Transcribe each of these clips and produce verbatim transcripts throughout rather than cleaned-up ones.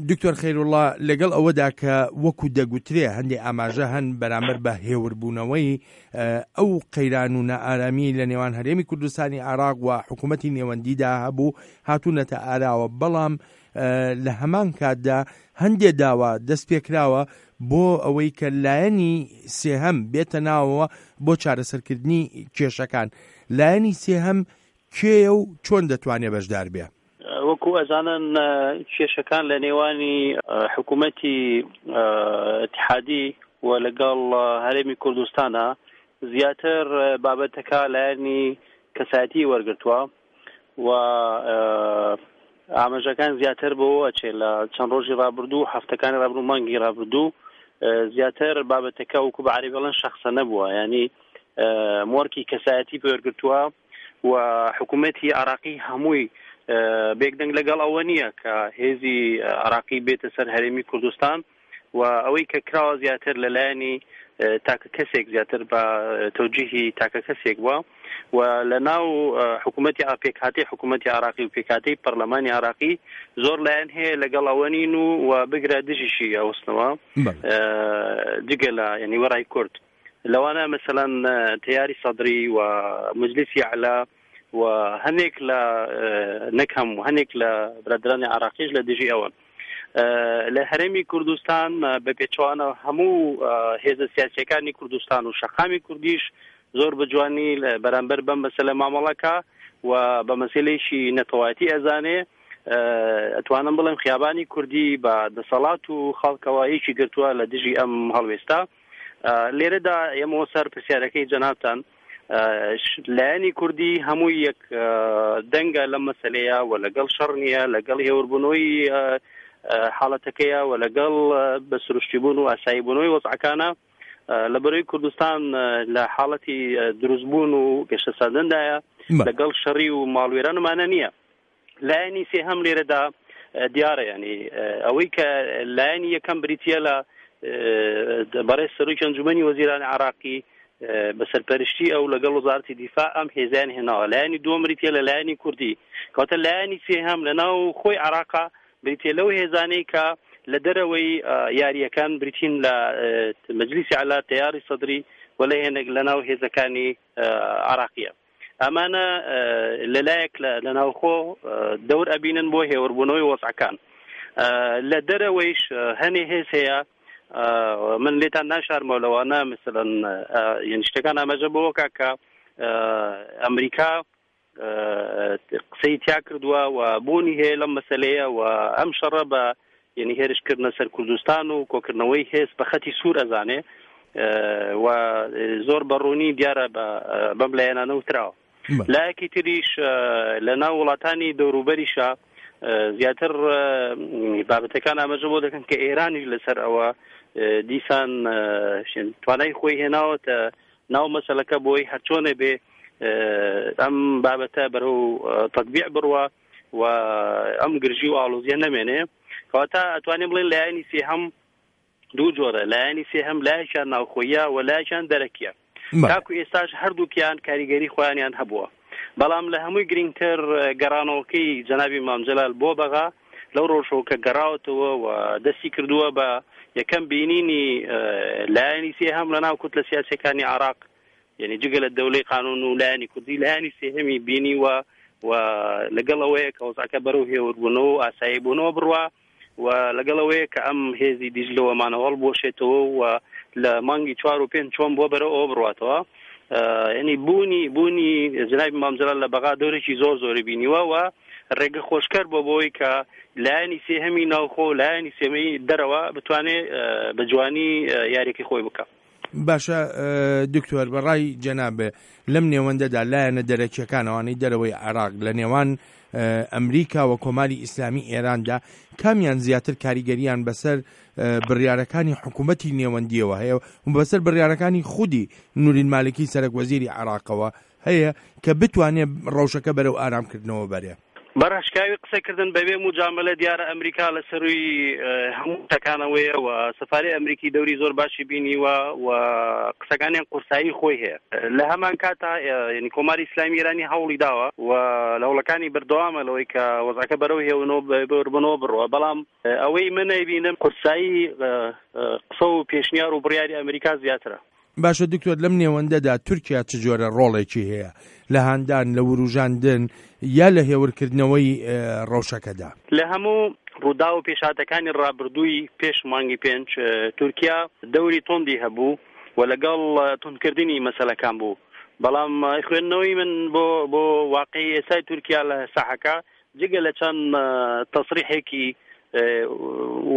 دکتۆر خەیروڵڵا، لەگەڵ ئەوەدا کە وەکو دەگوترێ هەندێ ئاماژە هەن بەرامبەر بە هێوربوونەوەی ئەو قەیران و نائارامی لە نێوان هەرێمی کوردستانی عێراق و حکوومەتی نێوەندیدا هەبوو هاتوونەتە ئاراوە، بەڵام لە هەمان کاتدا هەندێ داوا دەست پێکراوە بۆ ئەوەی کە لایەنی سێهەم بێتە ناوەوە بۆ چارەسەرکردنی کێشەکان. لایەنی سێهەم کێیە و چۆن دەتوانێت بەشدار بێ؟ وەکو ئەزانن کێشەکان لە نێوانی حکوومەتی ئیتیحادی و لەگەڵ هەرێمی کوردستانە زیاتر بابەتەکە لایەنی کەسایەتی وەرگرتووە و ئاماژەکان زیاتر بۆ ئەچێ لە چەند ڕۆژی ڕابردوو، هەفتەکانی ڕابردوو، مانگی ڕابردوو زیاتر بابەتەکە وەکو بە عەرەبی بڵێن شەخسە نەبووە، یعنی مۆرکی کەسایەتی پێوەرگرتووە و حکوومەتی عراقی هەمووی بێکدەنگ لەگەڵ ئەوە نییە کە هێزی عراقی بێتە سەر هەرێمی کوردستان و ئەوەی کە کراوە زیاتر لەلایەنی تاکە کەسێک زیاتر بە تەوجیهی تاکە کەسێک بووە و لە ناو حکوومەتی پێکهاتەی حکوومەتی عراقی و پێکهاتەی پەرلەمانی عراقی زۆر لایەن هەیە لەگەڵ ئەوە نین و و بگرە دژیشی ئەوستنەوە جگە لە یعنی وەڕای کورد، لەوانە مەسەلەن تەیاری سەدری و مەجلیسی ئەعلا و هەنێک لە نەک هەموو هەنێک لە برادرانی عراقیش لە دژی ئەوەن. لە هەرێمی کوردستان بە پێچوانە هەموو هێزە سیاسیەکانی کوردستان و شەقامی کوردیش زۆر بە جوانی بەرامبەر بەم مەسەلە مامەڵەکە و بە مەسەلەیەکی نەتەوایەتی ئەزانێ. ئەتوانم بڵێم خیابانی کوردی بە دەسەڵات و خەڵکەوە یەکی گرتووە لە دژی ئەم هەڵوێستا. لێرەدا ئێمەوە سەر پرسیارەکەی جەنابتان، لایەنی کوردی هەمووی یەک دەنگە لەم مەسەلەیە و لەگەڵ شەڕ نییە، لەگەڵ هێوربوونەوەی حاڵەتەکەیە و لەگەڵ بە سروشتیبوون و ئاساییبوونەوەی وەزعەکانە. لە بەرەوەی کوردستان لە حاڵەتی دروستبوون و گەشەسەندندایە، لەگەڵ شەڕی و ماڵوێرانمانە نییە. لایەنی سێهەم لێرەدا دیارە، ینی ئەوەی کە لایەنی یەکەم بریتیە لە بەڕێز سەرۆکی ئەنجومەنی وەزیرانی عراقی بە سەرپەرشتی ئەو لەگەڵ وەزارەتی دیفاع ئەم هێزیان هێناوە. لایەنی دووەم بریتیە لە لایەنی کوردی، کەواتە لایەنی سێهەم لە ناو خۆی عراقا بریتیە لەو هێزانەی کە لە دەرەوەی یاریەکان بریتین لە مەجلیسی عەلا، تەیاری سەدری و لە هێنێک لە ناو هێزەکانی عراقیە. ئەمانە لەلایەک لە ناوخۆ دەور ئەبینن بۆ هێوربوونەوەی وەزعەکان، لە دەرەوەیش هەنێ هێز هەیە من لێتان ناشارمەوە لەوانە مثلەن یعنی شتەکان ئاماژە بۆ کە ئەمریکا قسەی تیا کردووە و بوونی هەیە لەم مەسلەیە و ئەم شەڕە بە یعنی هێرشکردنە سەر کوردستان و کۆکردنەوەی هێز بە خەتی سوور ئەزانێ و زۆر بەڕوونی دیارە بەم لایەنانە وتراوە. لایەکی تریش لە ناو وڵاتانی دەوروبەریشە زیاتر بابەتەکان ئاماژە بۆ دەکەن کە ئێرانیش لەسەر ئەوە دیسان توانای خۆی هێناوەتە ناو مەسەلەکە بۆی هەرچۆنێ بێ ئەم بابەتە بەرەو تەطبیع بڕوە و ئەم گرژی و ئاڵۆزیە نەمێنێ. کەواتە ئەتوانین بڵێن لایەنی سێهەم دوو جۆرە، لایەنی سێهەم لایەکیان ناوخۆیە و لایەکیان دەرەکیە. تاکو ئێستاش هەردووکیان کاریگەری خۆیانیان هەبووە، بەڵام لە هەمووی گرنگتر گەڕانەوەکەی جەنابی مام جەلال بۆ بەغا لەو ڕۆژەوە کە گەڕاوەتەوە و دەستی کردووە بە یەکەم بینینی لایەنی سێهەم لە ناو کوتلە سیاسیەکانی عراق، یعنی جگە لە دەولەی قانون و لایەنی کوردی لایەنی سێهەمی بینی و و لەگەڵ ئەوەیە کە وەزعەکە بەرەو هێوربوونەوە و ئاسایی بوونەوە بڕوا و لەگەڵ ئەوەیە کە ئەم هێزی دیجلەوەمانەوە هەڵبوەشێتەوە و لە مانگی چوار و پێنج چۆن بۆ بەرەو ئەوە بڕواتەوە. یعنی بوونی بوونی جەنابی مام جەلال لە بەغا دەورێکی زۆر زۆری بینیوە و ڕێگە خۆشکەر بۆ بۆی کە لایەنی سێهەمی ناوخۆ لایەنی سێهەمی دەرەوە بتوانێت بە جوانی یاریەکەی خۆی بکە. باشە دکتۆر، بەڕای جەنابێ لەم نێوەندەدا لایەنە دەرەکیەکانەوانەی دەرەوەی عێراق لە نێوان ئەمریکا و کۆماری ئیسلامی ئێراندا کامیان زیاتر کاریگەریان بەسەر بڕیارەکانی حکوومەتی نێوەندیەوە هەیە و بەسەر بڕیارەکانی خودی نورین مالکی سەرەک وەزیری عێراقەوە هەیە کە بتوانێت ڕەوشەکە بەرەو ئارامکردنەوە بەرێ؟ بەڕاشکاوی قسەکردن بەبێ مجاملە دیارە ئەمریکا لە سەروی هەموو تەکانەوەیە و سەفاری ئەمریکی دەوری زۆر باشی بینیوە و قسەکانیان قورسایی خۆی هەیە. لە هەمان کاتا یعنی کۆماری ئیسلامی ئێرانی هەوڵی داوە و لە هەوڵەکانی بەردەوامە لەوەی کە وەزعەکە بەرەو هێونەوە بەربنەوە بڕوە، بەڵام ئەوەی من نەیبینم قورسایی قسە و پێشنیار و بڕیاری ئەمریکا زیاترە. باشە دکتۆر، لەم نێوەندەدا تورکیا چ جۆرە ڕۆڵێکی هەیە لە هاندان، لە وروژاندن یا لە هێورکردنەوەی ڕەوشەکەدا؟ لە هەموو ڕوودا و پێشاتەکانی ڕابردووی پێش مانگی پێنج تورکیا دەوری توندی هەبوو و لەگەڵ توندکردنی مەسەلەکان بوو، بەڵام خوێندنەوەی من بۆ بۆ واقعی ئێستای تورکیا لە ساحەکە جگە لە چەند تەسریحێکی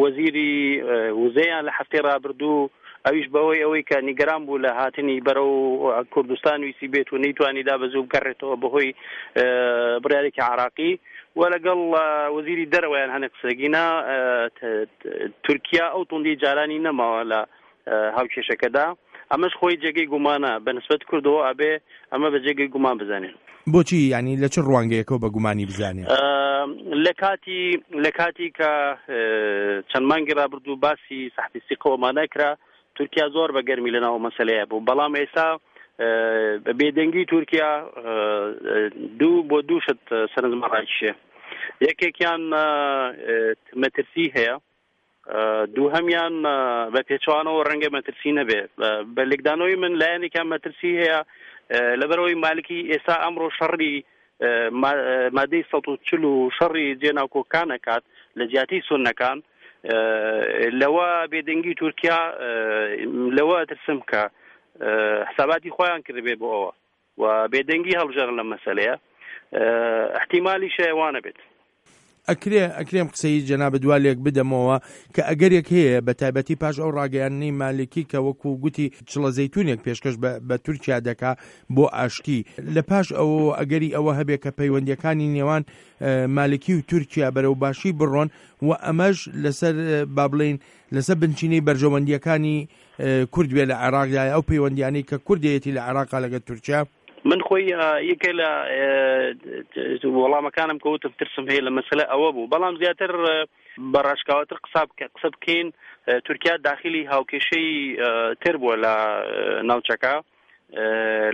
وەزیری وزەیان لە هەفتەی ڕابردوو، ئەویش بەوەی ئەوەی کە نیگەران بوو لە هاتنی بەرەو کوردستان ویسی بێت و نەیتوانی دا بەزوو بگەڕێتەوە بەهۆی بڕیارێکی عراقی و لەگەڵ وەزیری دەرەوەیان هەنێک قسەگینا، تورکیا ئەو توندی جارانی نەماوە لە هاوکێشەکەدا. ئەمەش خۆی جێگەی گومانە بە نسبەت کوردەوە، ئەبێ ئەمە بە جێگەی گومان بزانین. بۆچی؟ یعنی لە چ ڕوانگەیەکەوە بە گومانی بزانێ؟ لە کاتی لە کاتی کە چەند مانگی ڕابردوو باسی سەحبی سیقەوەمان نەکرا، تورکیا زۆر بە گەرمی لەناو مەسەلەیە بوو، بەڵام ئێستا بێدەنگی تورکیا دوو بۆ دوو شت سەرنجمان ڕاکیشێ. یەکێکیان مەترسی هەیە، دووهەمیان بە پێچوانەوە ڕەنگە مەترسی نەبێ. بە لێکدانەوەی من لایەنێکیان مەترسی هەیە لەبەرەوەی مالکی ئێستا ئەمڕۆ شەڕی مادەی سەد و چل و شەڕی جێناوکۆکان ئەکات لە جیاتی سوننەکان. لەوە بێدەنگی تورکیا لەوە ترسم کە حساباتی خۆیان کردبێ بۆ ئەوە و بێدەنگی هەڵبژێرن لەم مەسەلەیە، احتیمالی شەیوانە بێت. ئەکرێ ئەکرێم قسەی جەنابت وا لێک بدەمەوە کە ئەگەرێک هەیە بە تایبەتی پاش ئەو ڕاگەیاندنەی مالکی کە وەکو گوتی چڵە زەیتونێک پێشکەش بە تورکیا دەکا بۆ ئاشتی، لە پاش ئەوە ئەگەری ئەوە هەبێ کە پەیوەندیەکانی نێوان مالکی و تورکیا بەرەو باشی بڕۆن و ئەمەش لەسەر با بڵێین لەسەر بنچینەی بەرژەوەندیەکانی کورد بێ لە عێراقدا، ئەو پەیوەندیانەی کە کوردەیەتی لە عێراقا لەگەڵ تورکیا. من خۆی یەکێ لە وەڵامەکانم کە وتم ترسم هەیە لە مەسەلە ئەوە بوو، بەڵام زیاتر بە ڕاشکاوەتر قسە بکەین تورکیا داخلی هاوکێشەی تر بووە لە ناوچەکە،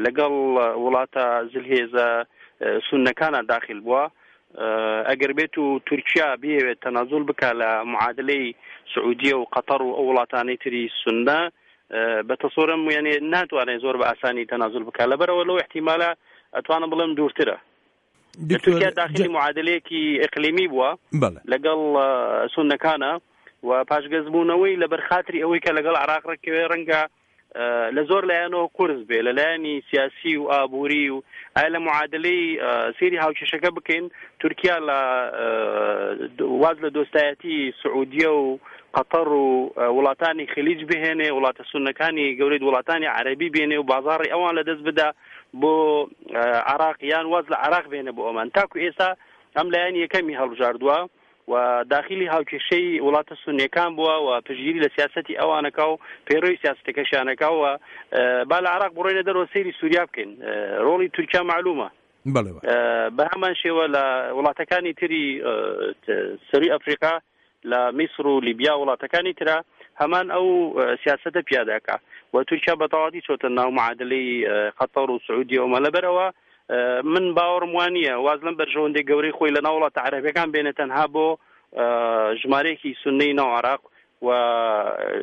لەگەڵ وڵاتە زلهێزە سوننەکانە داخل بووە. ئەگەر بێت و تورکیا بێوێت تەنازول بکە لە معادلەی سعودیە و قەتەر و ئەو وڵاتانەی تری سوننە، بە تەسەورم یعنی ناتوانێت زۆر بە ئاسانی تەنازول بکە، لەبەرەوە لەو احتیمالە ئەتوانم بڵێم دوورترە. تورکیا داخلی معادلەیەکی ئیقلیمی بووە لەگەڵ سوننەکانە و پاشگەزبوونەوەی لەبەر خاتری ئەوەی کە لەگەڵ عراق ڕێککەوێ ڕەنگە لە زۆر لایەنەوە قورس بێ، لە لایەنی سیاسی و ئابووری و ئایا لە معادلەی سێری هاوکێشەکە بکەین تورکیا لە واز لە دۆستایەتی سعودیە و قەتەر و وڵاتانی خلیج بهێنێ، وڵاتە سوننەکانی گەورەی وڵاتانی عەرەبی بێنێ و بازاڕی ئەوان لەدەست بدا بۆ عراق، یان واز لە عراق بێنێ بۆ ئەمان. تاکو ئێستا ئەم لایەن یەکەمی هەڵبژاردووە و داخلی هاوکێشەی وڵاتە سونیەکان بووە و پشتگیری لە سیاسەتی ئەوانەکە و پەیڕەوی سیاسەتەکەشیانەکە و با لە عراق بڕۆینە دەرەوە سەیری سووریا بکەین. ڕۆڵی تورکیا معلومە بە هەمان شێوە لە وڵاتەکانی تری سەروی ئەفریقا لە میسر و لیبیا وڵاتەکانی ترا هەمان ئەو سیاسەتە پیادەکە و تورکیا بە تەواوی چۆتە ناو معادلەی قەتەر و سعودیە و لەبەرەوە من باوەڕم وانییە واز لەم بەرژەوەندی گەورەی خۆی لە ناو وڵاتە عەرەبیەکان بێنێ تەنها بۆ ژمارەیەکی سوننەی ناو عراق و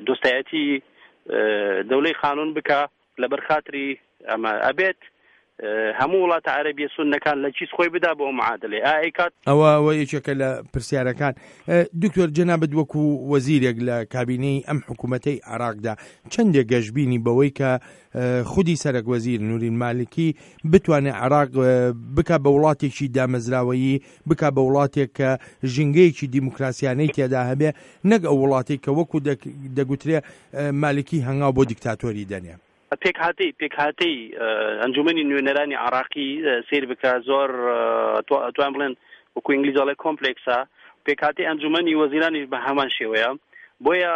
دۆستایەتی دەولەی قانون بکە لەبەر خاتری ئەمە ئەبێت هەموو وڵاتە عەرەبیە سوننەکان لە چیز خۆی بدا بۆ معادلێ ئای کات. ئەوە ئەوە یەکێکە لە پرسیارەکان. دکتۆر جەنابت وەکو وەزیرێک لە کابینەی ئەم حکوومەتەی عێراقدا چەندێک گەشببینی بەوەی کە خودی سەرەک وەزیر نورین مالکی بتوانێت عێراق بکا بە وڵاتێکی دامەزراوەیی، بکا بە وڵاتێک کە ژینگەیەکی دیموکراسیانەی تێدا هەبێ، نەک ئەو وڵاتێک کە وەکو دەگوترێ مالکی هەنگاو بۆ دیکتاتۆری دەنێ؟ پێکهاتەی پێکهاتەی ئەنجومەنی نوێنەرانی عراقی سیر بکە زۆر توان بڵێن وەکو ئینگلیز ئەڵێ کۆمپلێکسە. پێکهاتەی ئەنجومەنی وەزیرانیش بە هەمان شێوەیە. بۆیە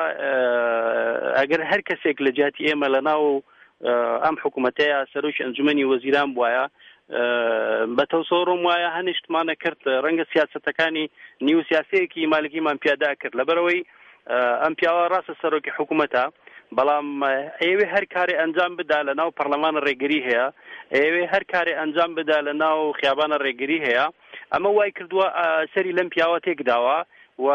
ئەگەر هەر کەسێک لە جیاتی ئێمە لە ناو ئەم حکوومەتەیە سەرۆکی ئەنجومەنی وەزیران بواە، بە تەسەوڕم وایە هەنیشتمانە کرد، ڕەنگە سیاسەتەکانی نیو سیاسەیەکی مالکیمان پیادا کرد. لەبەرەوەی ئەم پیاوە ڕاستە سەرۆکی حکوومەتە، بەڵام ئەوێ هەر کارێ ئەنجام بدا لە ناو پەرلەمان ڕێگری هەیە، ئەوێ هەر کارێ ئەنجام بدا لە ناو خیابانە ڕێگری هەیە. ئەمە وای کردووە سەری لەم پیاوە تێکداوە و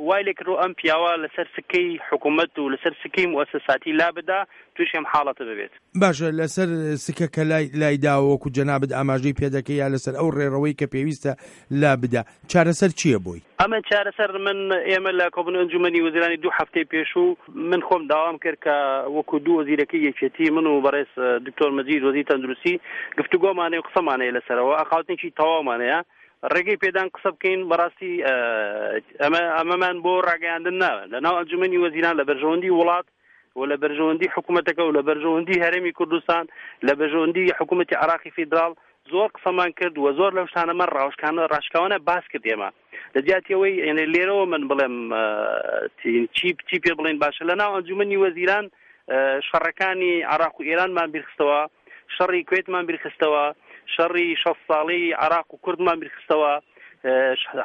وای لێکردو ئەم پیاوە لەسەر سکەی حکوومەت و لەسەر سکەی موئەسەساتی لا بدا تووشی ئەم حاڵەتە ببێت. باشە، لەسەر سکە کە لای لای داوە وەکو جەنابت ئاماژەی پێدەکەی یا لەسەر ئەو ڕێڕەوەی کە پێویستە لا بدا، چارەسەر چییە بۆی؟ ئەمە چارەسەر من ئێمە لە کۆبوونەوەی ئەنجومەنی وەزیرانی دوو هەفتەی پێشوو من خۆم داوام کرد کە وەکو دوو وەزیرەکەی یەکێتی من و بەڕێز دکتۆر مەجید وەزیر تەندروستی گفتوگۆمانەیە و قسەمانەیە لەسەرەوە، ئەخاوتنێکی تەواومانەیە، ڕێگەی پێدان قسە بکەین. بەڕاستی ئەمە ئەمەمان بۆ ڕاگەیاندن ناوە لە ناو ئەنجومەنی وەزیران لە بەرژەوەندی وڵات و لە بەرژەوەندی حکوومەتەکە و لە بەرژەوەندی هەرێمی کوردستان لە بەرژەوەندی حکوومەتی عراقی فیدراڵ زۆر قسەمان کرد و زۆر لەو شتانەمان ڕاوشکانە ڕاشکاوانە باس کرد. ئێمە لە جیاتی ئەوەی یعنی لێرەوە من بڵێم چی چی پێ بڵێن باشە، لە ناو ئەنجومەنی وەزیران شەڕەکانی عراق و ئێرانمان بیرخستەوە، شەڕی کوێتمان بیرخستەوە، شەڕی شەست ساڵی عراق و کوردمان بیرخستەوە،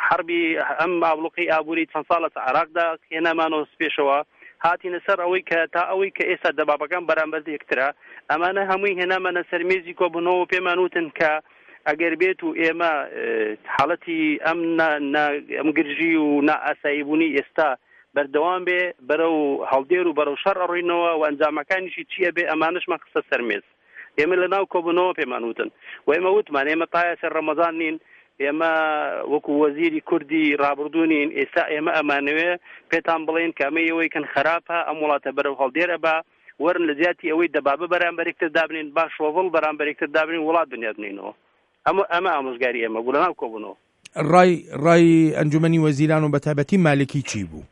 حربی ئەم ئابلوقی ئابووری چەند ساڵە عراقدا هێنامانەوە پێشەوە، هاتینە سەر ئەوەی کە تا ئەوەی کە ئێستا دەبابەکان بەرامبەر یەکترە، ئەمانە هەمووی هێنامانە سەر مێزی کۆبوونەوە پێمان وتن کە ئەگەر بێت و ئێمە حاڵەتی ئەم ئەم گرژی و نائاساییبوونی ئێستا بەردەوام بێ بەرەو هەڵدێر و بەرەو شەڕ ئەڕۆینەوە و ئەنجامەکانیشی چییە بێ ئەمانەشمان خستە سەر مێز. ئێمە لە ناو کۆبوونەوە پێمان وتن و ئێمە وتمان ئێمە تایە سەر ڕەمەزان نین، ئێمە وەکو وەزیری کوردی ڕابردوو نین، ئێستا ئێمە ئەمانەوێ پێتان بڵێن کە ئەمە ئەوەی کەن خراپە، ئەم وڵاتە بەرەو هەڵدێرە بە وەرن لە جیاتی ئەوەی دەبابە بەرامبەرێکتر دابنین با شۆڤڵ بەرامبەرێکتر دابنین وڵات بنیاد بنینەوە. ئەمە ئەمە ئامۆژگاری ئێمە بوو لە ناو کۆبوونەوە. ڕای ڕای ئەنجومەنی وەزیران و بەتایبەتی مالکی چی بوو؟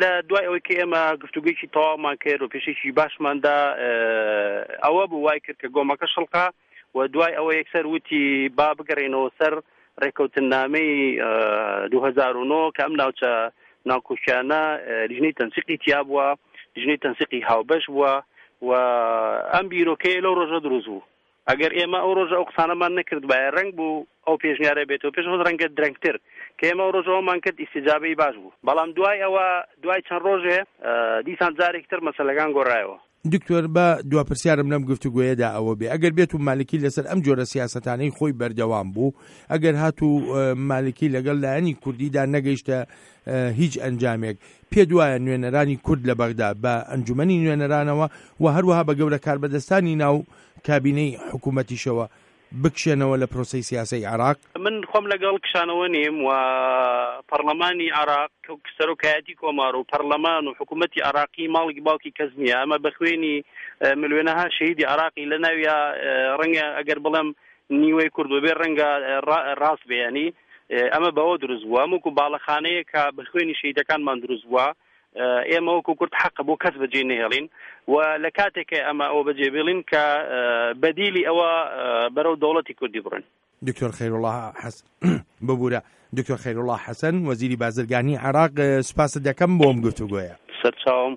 لە دوای ئەوەی کە ئێمە گفتوگویەکی تەواومان کرد و پێشێکی باشماندا ئەوە بوو وای کرد کە گۆمەکە شڵقا و دوای ئەوە یەکسەر وتی با بگەڕێنەوە سەر ڕێککەوتنامەی دوو هەزار و نۆ کە ئەم ناوچە ناکۆکیانە لیژنەی تەنسیقی تیا بووە، لیژنەی تەنسیقی هاوبەش بووە و ئەم بیرۆکەیە لەو ڕۆژە دروست بوو. ئەگەر ئێمە ئەو ڕۆژە ئەو قسانەمان نەکردبایە ڕەنگ بوو ئەو پێشنیارە بێتەوە پێش خۆت ڕەنگە درەنگتر کە ئێمە ئەو ڕۆژەوەمان کرد ئیستیجابەی باش بوو، بەڵام دوای ئەوە دوای چەند ڕۆژێ دیسان جارێکتر مەسەلەکان گۆڕایەوە. دکتۆر با دوا پرسیارم لەم گفتوگۆیەدا ئەوە بێ، ئەگەر بێت و مالکی لەسەر ئەم جۆرە سیاسەتانەی خۆی بەردەوام بوو، ئەگەر هاتوو مالکی لەگەڵ لایەنی کوردیدا نەگەیشتە هیچ ئەنجامێک، پێ دوایە نوێنەرانی کورد لە بەغدا بە ئەنجومەنی نوێنەرانەوە و هەروەها بە گەورە کاربەدەستانی ناو کابینەی حکوومەتیشەوە بکشێنەوە لە پرۆسەی سیاسەی عراق؟ من خۆم لەگەڵ کشانەوە نیم و پەرلەمانی عراق سەرۆکایەتی کۆمار و پەرلەمان و حکوومەتی عراقی ماڵی باوکی کەس نییە. ئەمە بە خوێنی ملیۆنەها شەهیدی عراقی لە ناویا ڕەنگە ئەگەر بڵێم نیوەی کورد بێ ڕەنگە ڕاست بێ، ینی ئەمە بەوە دروست بووە، وەکو باڵەخانەیە کە بە خوێنی شەهیدەکانمان دروست بووە. ئێمە وەکو کورد حەقە بۆ کەس بەجێ نەهێڵین و لە کاتێکە ئەمە ئەوە بەجێ بێڵین کە بەدیلی ئەوە بەرەو دەوڵەتی کوردی بڕن. دکتۆر خەیروڵڵا حەسەن ببوورە، دکتۆر خەیروڵڵا حەسەن وەزیری بازرگانی عێراق، سوپاست دەکەم بۆ ئەم گفتوگۆیە. سەرچاوم.